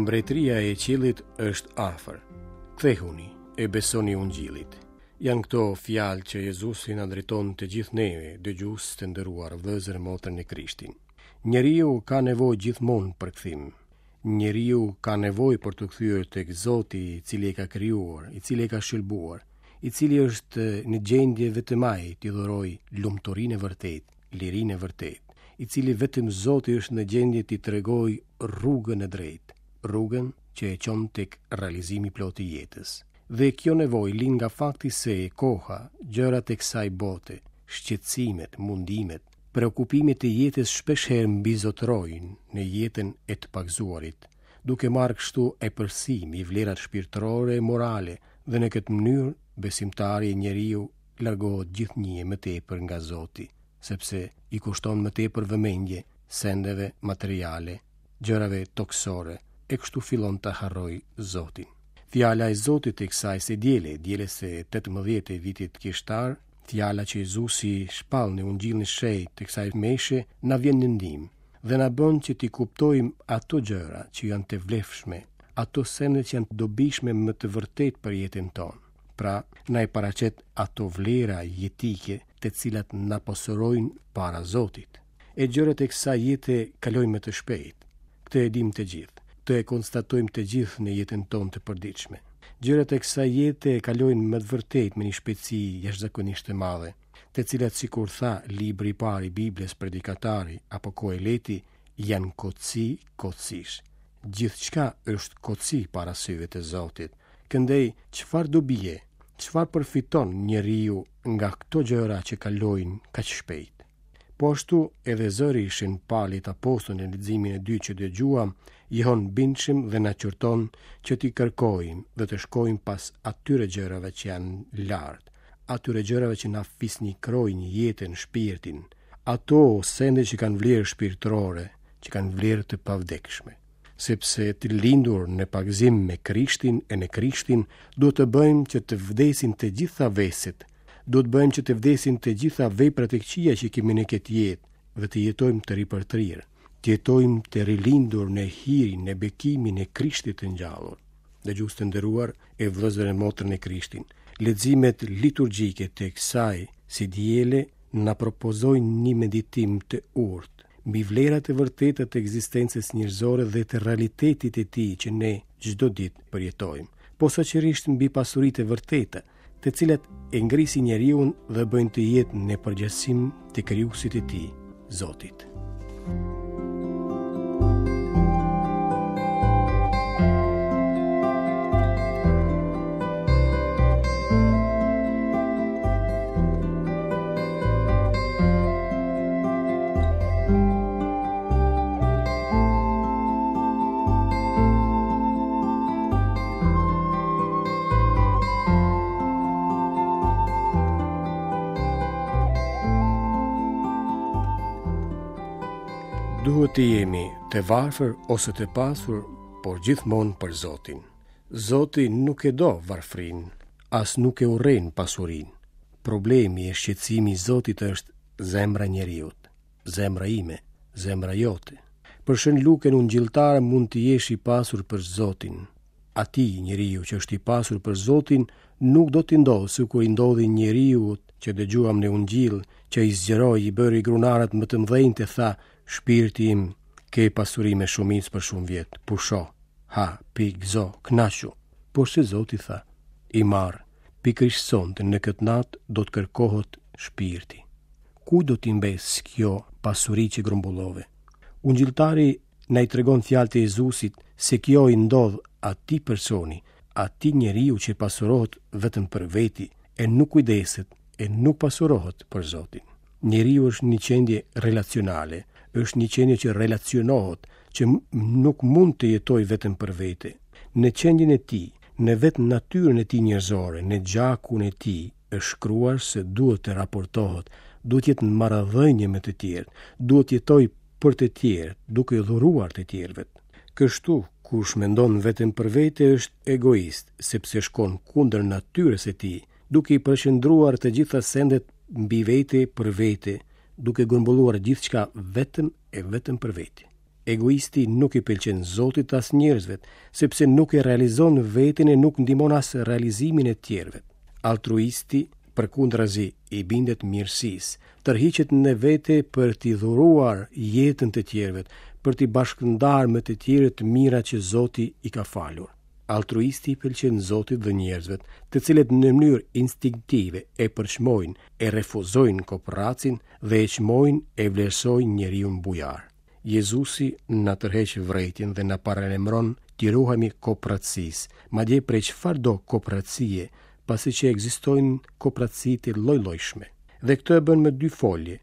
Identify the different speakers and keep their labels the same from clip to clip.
Speaker 1: Mbretëria e qiellit është afër. Kthehuni e besoni ungjillit. Janë këto fjalë që Jezusi na drejton të gjithë neve, dëgjues të nderuar, vëllezër e motra në Krishtin. Njeriu ka nevojë gjithmonë për kthim. Njeriu ka nevojë për t'u kthyer tek Zoti, i cili e ka krijuar, i cili e ka shëlbuar, i cili është në gjendje vetëm ai t'i dhurojë lumturinë e vërtetë, lirinë e vërtetë, i cili vetëm Zoti është në gjendje t'i tregojë rrugën e drejtë, rrugën që e çon tek realizimi i plotë i jetës. Dhe kjo nevojë lind nga fakti se koha, gjërat e kësaj bote, shqetësimet, mundimet, Preokupimet e jetës shpeshherë mbizotërojnë në jetën e të pagëzuarit, duke marrë kështu epërsi mbi vlerat shpirtërore e morale dhe në këtë mënyrë besimtari e njeriu largohet gjithnjë e më tepër nga Zoti, sepse i kushton më tepër vëmendje sendeve materiale, gjërave tokësore, e kështu fillon ta harrojë Zotin. Fjala e Zotit e kësaj së diele, dielës së 18 e vitit kishtar, Fjala që Jezusi shpall në Ungjillin e Shenjtë të kësaj meshe na vjen në ndihmë dhe na bën që t'i kuptojmë ato gjëra që janë të vlefshme, ato sende që janë të dobishme me të vërtetë për jetën tonë. Pra, na i paraqet ato vlera jetike të cilat na pasurojnë para Zotit. E gjërat e kësaj jete kalojnë me të shpejtë. Këtë e dimë të gjithë. Këtë e konstatojmë të gjithë në jetën tonë të përditshme. Gjërat e kësaj jete kalojnë me të vërtetë me një shpejtësi jashtëzakonisht të madhe, të cilat sikur tha libri i parë i Biblës Predikatari apo Koheleti janë kotësi kotësish. Gjithçka është kotësi para syve të Zotit. Këndej, çfarë dobie, çfarë përfiton njeriu nga këto gjëra që kalojnë kaq shpejt? Po ashtu edhe zëri i Shën Palit apostull në leximin e dytë që dëgjuam, jehon bindshëm dhe na qorton që t'i kërkojmë dhe të shkojmë pas atyre gjërave që janë lart, atyre gjërave që na fisnikrojnë jetën, shpirtin, ato sende që kanë vlerë shpirtërore, që kanë vlerë të pavdekshme. Sepse të lindur në pagëzim me Krishtin e në Krishtin, duhet të bëjmë që të vdesin të gjitha veset, Duhet të bëjmë që të vdesin të gjitha veprat e këqija që kemi në këtë jetë dhe të jetojmë të ripërtrirë, të jetojmë të rilindur në hirin, në bekimin e Krishtit të ngjallur. Dëgjues të nderuar e vëllezër e motra në Krishtin, leximet liturgjike të kësaj së diele na propozojnë një meditim të urtë mbi vlerat e vërteta të ekzistencës njerëzore dhe të realitetit të tij që ne çdo ditë përjetojmë, posaçërisht mbi pasuritë e vërteta, të cilat e ngrisin njeriun dhe bëjnë të jetë në përngjasim të krijuesit të tij, Zotit. Duhet të jemi të varfër ose të pasur, por gjithmonë për Zotin. Zoti nuk e do varfrinë, as nuk e urren pasurinë. Problemi e shqetësimi i Zotit është zemra e njeriut. Zemra ime, zemra jote. Për Shën Lukën Ungjilltar mund të jesh i pasur për Zotin. Atij njeriu që është i pasur për Zotin nuk do t'i ndodhë sikur i ndodhi njeriut që dëgjuam në Ungjill, që i zgjeroi i bëri grunarët më të mëdhenj e tha, shpirti im, ke pasuri me shumicë për shumë vjet, pusho, ha, pi, gëzo, kënaqu. Porse Zoti tha, i marrë, pikërisht sonte në këtë natë do të kërkohet shpirti. Kujt do t'i mbesë kjo pasuri që grumbullove? Ungjilltari na i tregon fjalët e Jezusit se kjo i ndodh atij personi, atij njeriu që pasurohet vetëm për veti e nuk kujdeset e nuk pasurohet për Zotin. Njeriu është një qenie relacionale, Është një qenie që relacionohet, që nuk mund të jetojë vetëm për vete. Në qenien e tij, në vetë natyrën e tij njerëzore, në gjakun e tij, është shkruar se duhet të raportohet, duhet të jetë në marrëdhënie me të tjerët, duhet të jetojë për të tjerët, duke dhuruar të tjerëve. Kështu, kush mendon vetëm për vete është egoist, sepse shkon kundër natyrës së tij, duke i përqendruar të gjitha sendet mbi vete për vete, duke grumbulluar gjithçka vetëm e vetëm për vete. Egoisti nuk i pëlqen Zotit as njerëzve, sepse nuk e realizon veten e nuk ndihmon as realizimin e tjerëve. Altruisti, përkundrazi, i bindet mirësisë, tërhiqet në vete për t'i dhuruar jetën të tjerëve, për t'i bashkëndarë me të tjerët të mirat që Zoti i ka falur. Altruisti i pëlqen Zotit dhe njerëzve, të cilët në mënyrë instinktive e përçmojnë, e refuzojnë koprracin dhe e çmojnë e vlerësojnë njeriun bujar. Jezusi na tërheq vërejtjen dhe na paralajmëron t'i ruhemi koprracisë, madje prej çfarëdo koprracie, pasi që ekzistojnë koprraci të lloj-llojshme. Dhe këtë e bën me dy folje,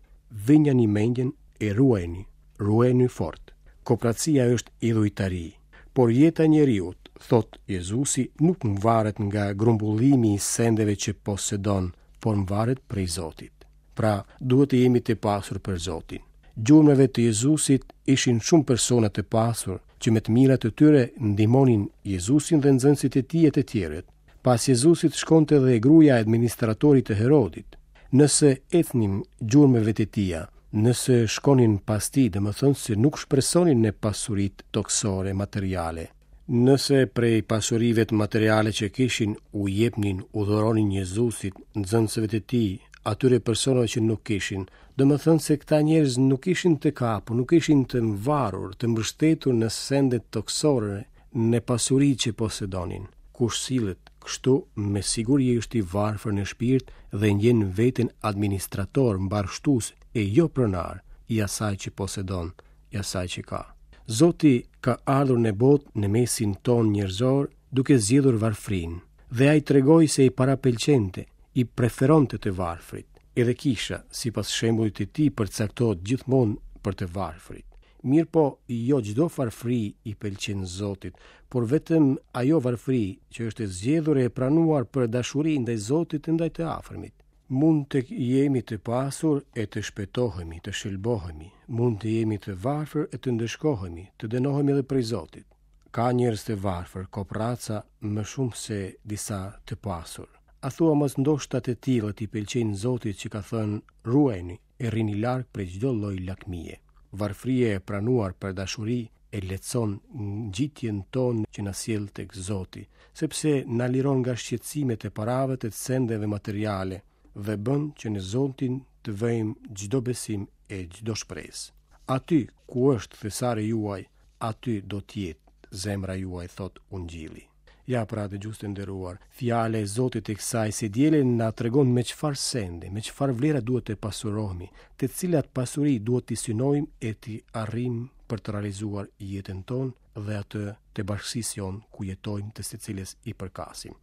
Speaker 1: vënjani mendjen e ruajeni, ruajeni fort. Koprracia është idhujtari. Por jeta e njeriut, thotë Jezusi, nuk mvaret nga grumbullimi i sendeve që posedon, por mvaret prej Zotit. Pra, duhet të jemi të pasur për Zotin. Gjurmëve të Jezusit ishin shumë persona të pasur që me të mirat e tyre ndihmonin Jezusin dhe nxënësit e tij e të tjerët. Pas Jezusit shkonte dhe gruaja e administratorit të Herodit. Nëse ecnin gjurmëve të tija, nëse shkonin pas tij, domethënë se nuk shpresonin në pasuritë tokësore materiale. Nëse prej pasurive materiale që kishin u jepnin, u dhuronin Jezusit, nxënësve të tij, atyre personave që nuk kishin, domethënë se këta njerëz nuk ishin të kapur, nuk ishin të mvarur, të mbështetur në sendet tokësore, në pasuri që posedonin. Kush sillet kështu, me siguri është i varfër në shpirt dhe ndjen veten administrator, mbarështues e jo pronar i asaj që posedon, i asaj që ka. Zoti ka ardhur në botë në mesin tonë njerëzor duke zgjedhur varfrinë dhe ai tregoi se i parapëlqente, i preferonte të varfrit. Edhe kisha, sipas shembullit të tij, përcaktohet gjithmonë për të varfrit. Mirëpo, jo çdo varfëri i pëlqen Zotit, por vetëm ajo varfëri që është e zgjedhur e pranuar për dashuri ndaj Zotit e ndaj të afërmit. Mund të jemi të pasur e të shpëtohemi, të shëlbohemi, mund të jemi të varfër e të ndëshkohemi, të dënohemi edhe prej Zotit. Ka njerëz të varfër, koprraca më shumë se disa të pasur. A thua mos ndoshta të tillët i pëlqejnë Zotit që ka thënë ruajuni e rrini larg prej çdo lloj lakmie. Varfëria e pranuar për dashuri e lehtëson ngjitjen tonë që na sjell tek Zoti, sepse na liron nga shqetësimet e parave të sendeve materiale dhe bën që në Zotin të vëjmë çdo besim e çdo shpresë. Aty ku është thesari juaj, aty do të jetë zemra juaj, thotë Ungjilli. Ja pra dëgjues të nderuar, fjala e Zotit e kësaj së diele na tregon me çfarë sende, me çfarë vlera duhet të pasurohemi, të cilat pasuri duhet t'i synojmë e t'i arrijmë për të realizuar jetën tonë dhe atë të bashkësisë jonë ku jetojmë të së cilës i përkasim.